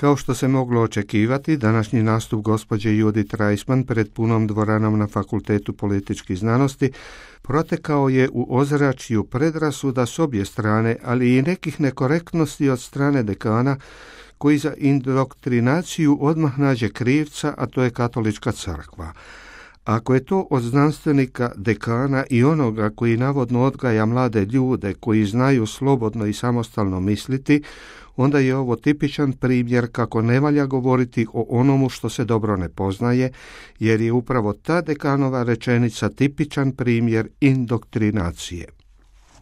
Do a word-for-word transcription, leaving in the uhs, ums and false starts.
Kao što se moglo očekivati, današnji nastup gospođe Judith Reisman pred punom dvoranom na Fakultetu političkih znanosti protekao je u ozračju predrasuda s obje strane, ali i nekih nekorektnosti od strane dekana, koji za indoktrinaciju odmah nađe krivca, a to je Katolička crkva. Ako je to od znanstvenika, dekana i onoga koji navodno odgaja mlade ljude koji znaju slobodno i samostalno misliti, onda je ovo tipičan primjer kako ne valja govoriti o onomu što se dobro ne poznaje, jer je upravo ta dekanova rečenica tipičan primjer indoktrinacije.